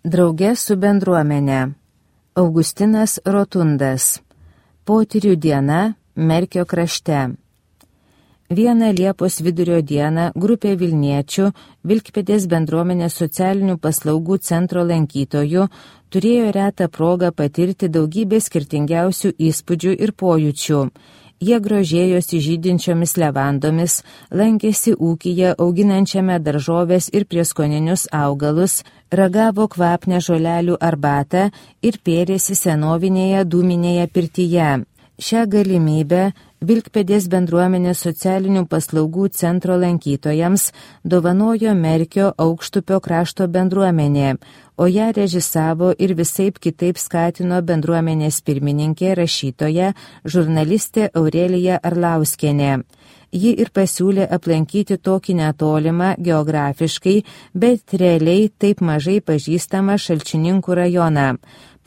Drauge su bendruomenė. Augustinas Rotundas. Potyrių diena Merkio krašte. Vieną Liepos vidurio dieną grupė Vilniečių, Vilkpėdės bendruomenės socialinių paslaugų centro lankytojų, turėjo retą progą patirti daugybę skirtingiausių įspūdžių ir pojūčių. Jie grožėjosi žydinčiomis levandomis, lankėsi ūkyje auginančiame daržovės ir prieskoninius augalus, ragavo kvapnią žolelių arbatą ir pėrėsi senovinėje dūminėje pirtyje. Šią galimybę Vilkpėdės bendruomenės socialinių paslaugų centro lankytojams dovanojo Merkio Aukštupio krašto bendruomenė, o ją režisavo ir visaip kitaip skatino bendruomenės pirmininkė, rašytoja, žurnalistė Aurelija Arlauskienė. Ji ir pasiūlė aplankyti tokį netolimą geografiškai, bet realiai taip mažai pažįstamą Šalčininkų rajoną.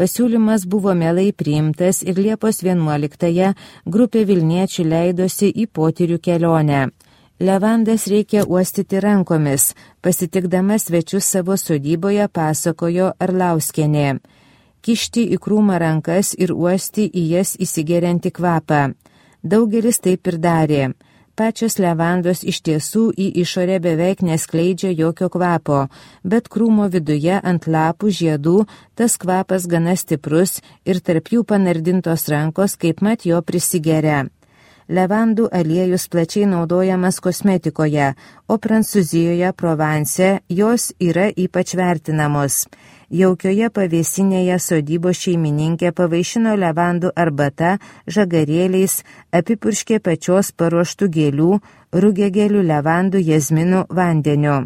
Pasiūlymas buvo mielai priimtas ir Liepos 11-ąją grupė Vilniečių leidosi į potyrių kelionę. Levandas reikia uostyti rankomis, pasitikdama svečius savo sodyboje pasakojo Arlauskienė. Kišti į krūmą rankas ir uosti į jas įsigeriantį kvapą. Daugelis taip ir darė. Pačios levandos iš tiesų į išorę beveik neskleidžia jokio kvapo, bet krūmo viduje ant lapų žiedų tas kvapas gana stiprus ir tarp jų panardintos rankos kaipmat jo prisigeria. Levandų aliejus plačiai naudojamas kosmetikoje, o Prancūzijoje, Provence jos yra ypač vertinamos. Jaukioje pavėsinėje sodybos šeimininkė pavaišino levandų arbata, žagarėliais, apipurškė pačios paruoštų gėlių, rugiagėlių, levandų, jazminų vandeniu.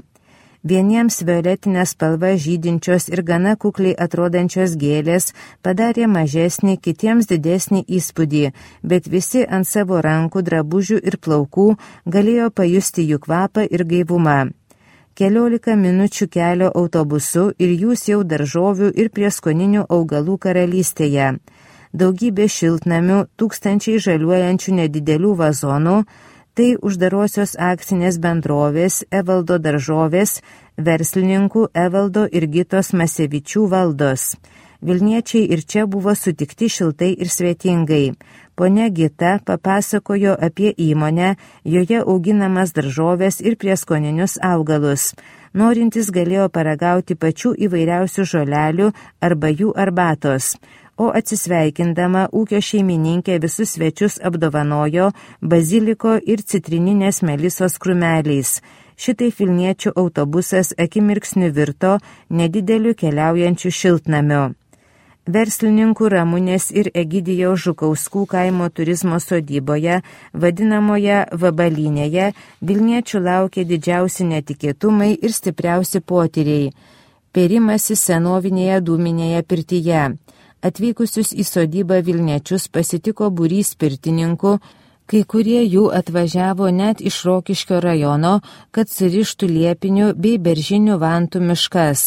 Vieniems violetinę spalvą žydinčios ir gana kukliai atrodančios gėlės padarė mažesnį, kitiems didesnį įspūdį, bet visi ant savo rankų, drabužių ir plaukų galėjo pajusti jų kvapą ir gaivumą. 14 minučių kelio autobusu ir jūs jau daržovių ir prieskoninių augalų karalystėje. Daugybė šiltnamių, tūkstančiai žaliuojančių nedidelių vazonų, tai uždarosios akcinės bendrovės Evaldo daržovės, verslininkų Evaldo ir Gitos Masevičių valdos. Vilniečiai ir čia buvo sutikti šiltai ir svetingai. Ponia Gita papasakojo apie įmonę, joje auginamas daržovės ir prieskoninius augalus. Norintys galėjo paragauti pačių įvairiausių žolelių arba jų arbatos. O atsisveikindama ūkio šeimininkė visus svečius apdovanojo baziliko ir citrininės melisos krūmeliais. Šitai Vilniečių autobusas akimirksniu virto nedideliu keliaujančiu šiltnamiu. Verslininkų Ramunės ir Egidijaus Žukauskų kaimo turizmo sodyboje, vadinamoje Vabalynėje, Vilniečių laukė didžiausi netikėtumai ir stipriausi potyriai. Pėrimasi senovinėje dūminėje pirtyje. Atvykusius į sodybą Vilniečius pasitiko būrys pirtininkų, kai kurie jų atvažiavo net iš Rokiškio rajono, kad surištų liepinių bei beržinių vantų miškas.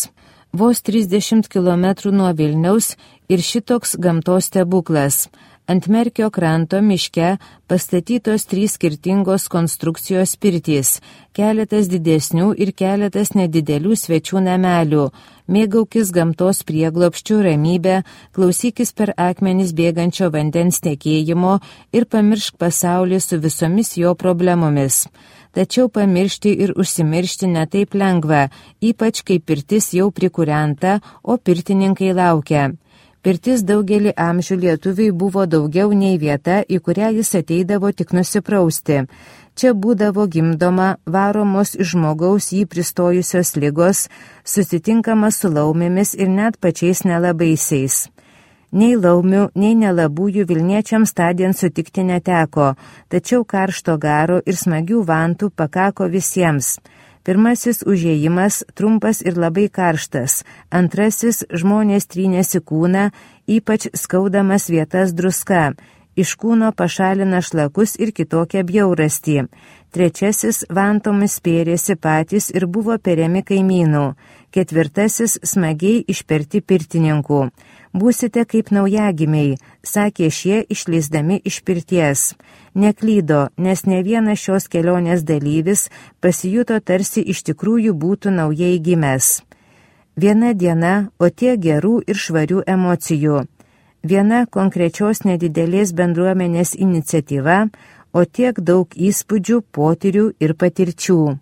Vos 30 km nuo Vilniaus ir šitoks gamtos stebuklas. Ant Merkio kranto miške pastatytos 3 skirtingos konstrukcijos pirtys, keletas didesnių ir keletas nedidelių svečių namelių. Mėgaukis gamtos prieglobsčių ramybę, klausykis per akmenis bėgančio vandens tekėjimo ir pamiršk pasaulį su visomis jo problemomis. Tačiau pamiršti ir užsimiršti netaip lengva, ypač kai pirtis jau prikūrenta, o pirtininkai laukia. Pirtis daugelį amžių lietuviai buvo daugiau nei vieta, į kurią jis ateidavo tik nusiprausti. Čia būdavo gimdoma, varomos iš žmogaus jį pristojusios ligos, susitinkama su laumėmis ir net pačiais nelabaisiais. Nei laumių, nei nelabųjų Vilniečiams tądien sutikti neteko, tačiau karšto garo ir smagių vantų pakako visiems. Pirmasis užėjimas trumpas ir labai karštas, antrasis žmonės trynėsi kūną, ypač skaudamas vietas druska. Iš kūno pašalina šlakus ir kitokią bjaurastį. Trečiasis vantomis pėrėsi patys ir buvo periami kaimynų. Ketvirtasis smagiai išperti pirtininkų. Būsite kaip naujagimiai, sakė šie išleisdami iš pirties. Neklydo, nes ne vienas šios kelionės dalyvis pasijuto tarsi iš tikrųjų būtų naujai gimęs. Viena diena, o tiek gerų ir švarių emocijų. Viena konkrečios nedidelės bendruomenės iniciatyva, o tiek daug įspūdžių, potyrių ir patirčių.